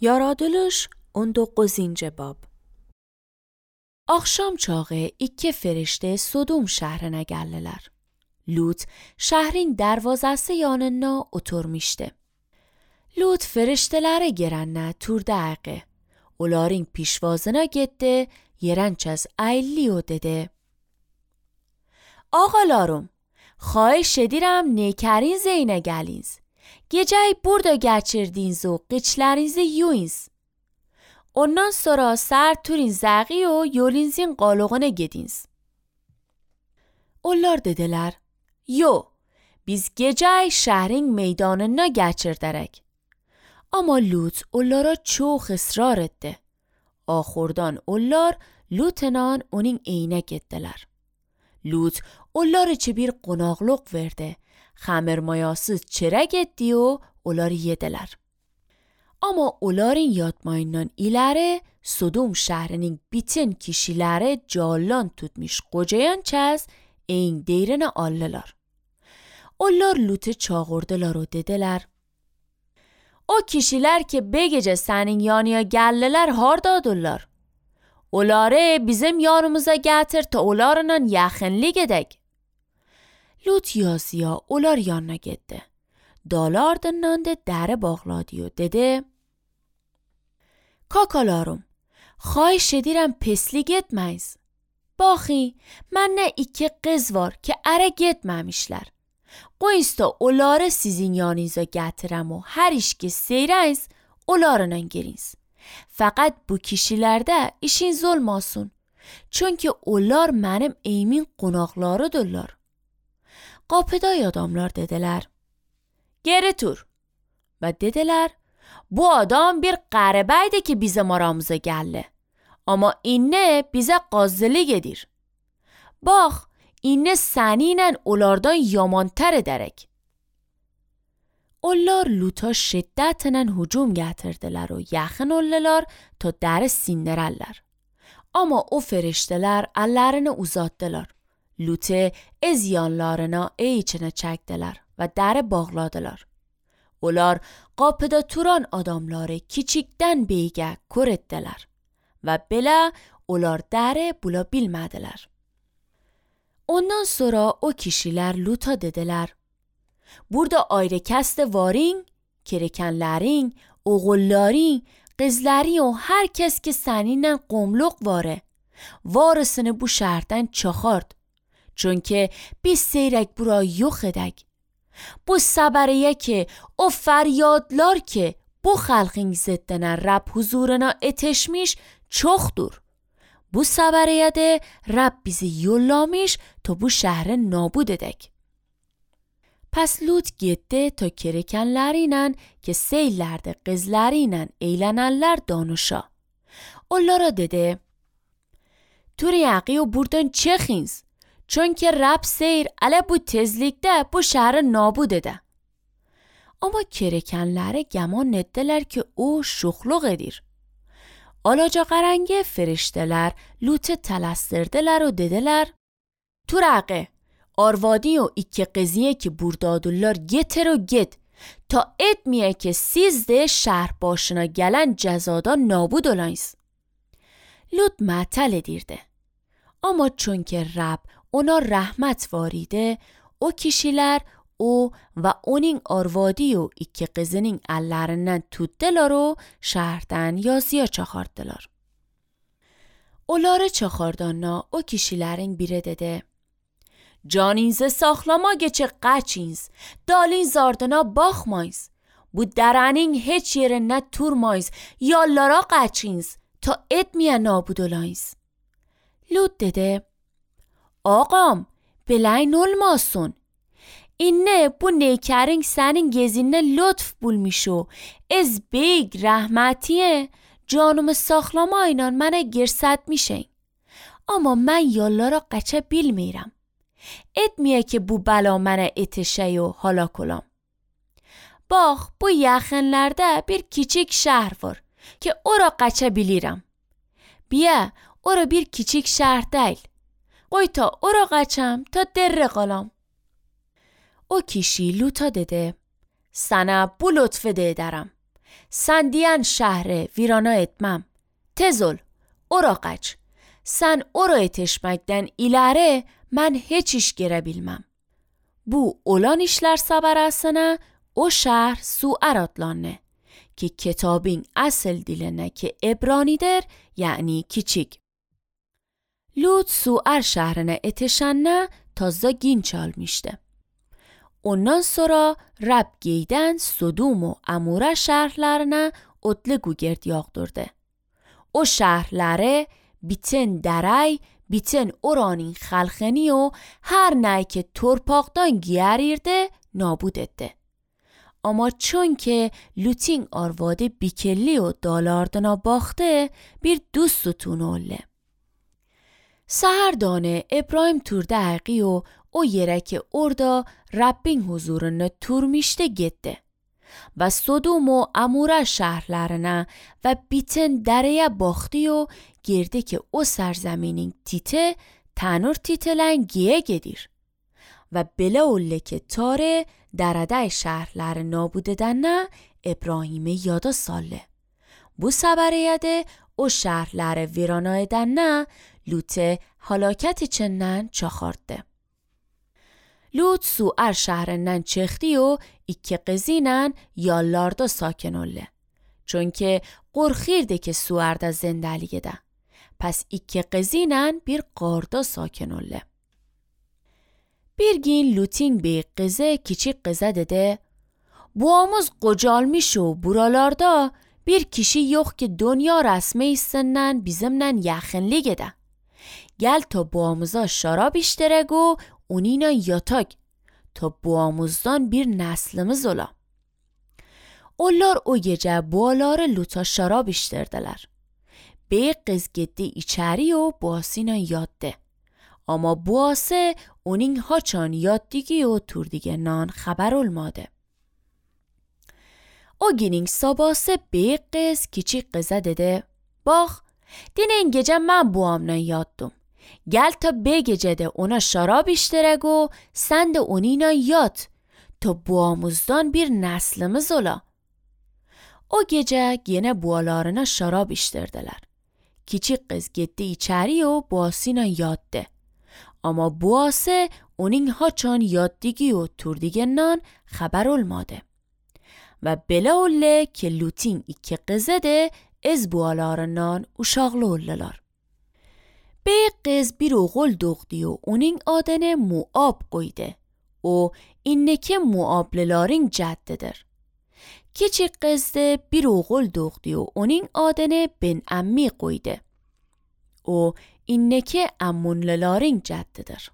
Yaradılış 19. bab. Akşam çağı iki ferişte Sodom şehrine geldiler. Lut şehrin darvazası yanına oturmuştu. Lut feriştelere girenle turda ağı. Onların pişvazına gitti, yerençez ayliyo dedi. Ağalarım, xahiş edirəm nekarinize yine geliniz. Geceyi burada geçirdiniz و قیچلرinizi yuyunuz. Ondan sonra ser turin zəği و yolinizin qalığına gediniz. Onlar dediler, yo, biz geceyi şehrin meydanına geçirderek. Ama Lut onlara çok ısrar etti. Ahurdan onlar Lut'la onun eyine gittiler. Lut onlar için bir qonaqlıq verdi. Xəmirmayasız çörək etdi و onları yediler. Ama onların yatmayından ileri Sodom şehrinin bütün kişileri calan tutmuş qocayan çəz این deyrine aldılar. Onlar Lut'u çağırdılar و dediler. O kişiler ki be gece senin yanıya geldiler hardadırlar. Onları bizim yanımıza getir ta onlarla yaxınlık edek. Lut yazıya onlar yanına gitti. Dalardından da dere bağladı و dedi. Kakalarım, xahiş edirəm peslik etmeyiz. Baxi, mənə iki qız var ki ərə getməmişlər. Qoyunuz da onları sizin yanınıza gətirəm و hər iş ki seyrəyiz, onlarla giriniz. Fəqət bu kişilərdə işiniz olmasın. Çünki onlar mənim evimin qonaqlarıdırlar. Qapıda adamlar dediler. Geri tur. Və dediler. Bu adam bir qəribəydi ki bizim aramıza gəldi. Amma inne bizə qazılıq edir. Bax, inne səninlə onlardan yamantar edərək. Onlar Lut'a şiddətlə hücum gətirdilər و yaxın oldular ta dəri sindirərlər. Amma o feriştələr əllərini uzatdılar. Lut'u ez yanlarına içine çəkdilər və dəri bağladılar. Onlar qapıda turan adamları kiçikdən beygə kör etdilər və belə onlar dəri bula bilmədilər. Ondan sonra o kişilər Lut'a dediler. Burada ayrı kəsdə varin, kerekenlərin, oğulların, qızların o hər kəs ki səninlə qomluq varı, varısını bu şəhərdən çıxart. Çünki biz seyrək bura yox edək. Bu səbəriyə ki, o fəryadlar ki, bu xalqın ziddinə Rab huzuruna etişmiş çoxdur. Bu səbəriyə də Rab bizi yollamış ta bu şəhri nabud edək. Pes Lut getdi ta kerekenlərinlə ki seylərdə qızlarıyla eğlənənlər danışa. Onlara dedi, Turiyaqi o buradan çıxınız. Çünkü Rab seyir ələ bu tezlikdə bu şəhri nabud edə. Amma kerekenləri gəman etdilər ki o şuxluq edir. Alaca qarəngi feriştələr Lut'u tələstirdilər و dediler. Turaqi, arvadi o iki qızıya ki buradadırlar getir و get. Ta etmiye ki siz de şəhər başına gələn cəzadan nabud olayız. Lut mətal edirdi. Amma çünkü Rab ona rahmet varide, o kişiler o ve onun arvadi o iki kızının ellerinden tuttular و şehirden yazıya çağırdılar. Onları çağırdanla o kişilerin biri dedi. Caninize saklama geçe qaçiniz, dalin zardına bakmayız. Bu derenin hiç yerine turmayız, yallara qaçiniz ta etmiye nabud olayız. Lut dedi. Ağam, biləyin olmasın. İnne bu neykerin senin gezinne lütf bulmuş و ez beyg rəhmətiye canımı saxlamayla mənə girsətmişin. Amma mən yollara qaça bilmirəm. Etmiye ki bu bəla mənə etişə و halak olam. Bax, bu yaxınlarda bir kiçik şəhər var ki ora qaça bilirəm. Biya, ora bir kiçik şəhər deyil. Qoy ta ora qaçam ta derre qalam. O kişi Lut'a dedi. Sana bu lütfü de ederim. sen diyen şehre virana etmem. Tez ol, ora kaç. Sen oraya yetişmekten ileri ben hiç iş girebilmem. Bu olan işler sabarasına o şehir Suer atlanne ki kitabın asıl diline ki Ebranidir yani küçük. Lut Suer şehrine yetişene taze gün çalmıştı. Ondan sonra Rab giyden Sodom و Amora şehirlerine otlugu gird yağdırdı. O şehirlere bütün deray, bütün oranın خلخنی و her ne که torpaqdan giyerirdi nabud etti. Ama چون که لوتین آرواده بیکلی و دالاردنا باخته bir دوستتون olle. Saherdane İbrahim turda و o yere ki orada Rabbin huzuruna turmişte gitti. و Sodom و Amora şehirlerine ve bütün dereye baktı و girdi ki o سرزمینin تیته تنور تیتلن گیه گدیر. و بلا اوله که تاره درده شهرلر نابوده دنه ابراهیم یادا ساله. Bu sebereyyede o şehirlere virana edenne Lut'e halaket içinden çakardı. Lut Suer şehrinden çıktı و iki kızıyla yallarda sakin oldu. Çünkü korkirdi ki Suer'de zindeliği de. Pes iki kızıyla bir qarda sakin oldu. Bir gün Lut'in bir kızı küçük kıza dedi, boğamız qocalmış و buralarda bir kişi yok ki dünya resmi istinden bizimle yakınlığı de. Gel ta boğamıza şarap işterek و onunla yatak ta boğamızdan bir neslimiz ola. Onlar o gece boğaları Lut'a şarap işterdiler. Bir kız gitti içeri و boğasıyla yattı. Ama boğası onun haçan yattigi و turdigenan haber olmadı. O günün sabahı bir kız küçük kıza dedi, bak, dinen gece ben boğamla yattım. Gel ta bir gecede ona şarap işterek و sen de onunla yat ta boğamızdan bir neslimiz ola. O gece yine boğalarına şarap işterdiler. Küçük kız gitti içeri و boğasıyla yattı. Ama boğası onun haçan yattigi و turdigenan haber olmadı. Ve bela olle ki Lut'in iki kızı de ez boğalarından uşaklı oldular. Bir kız bir oğul doğdu و onun adını Moab koydu. O inneki Moablıların ceddidir. Küçük kız de bir oğul doğdu و onun adını Ben Ammi koydu. O inneki Ammonluların ceddidir.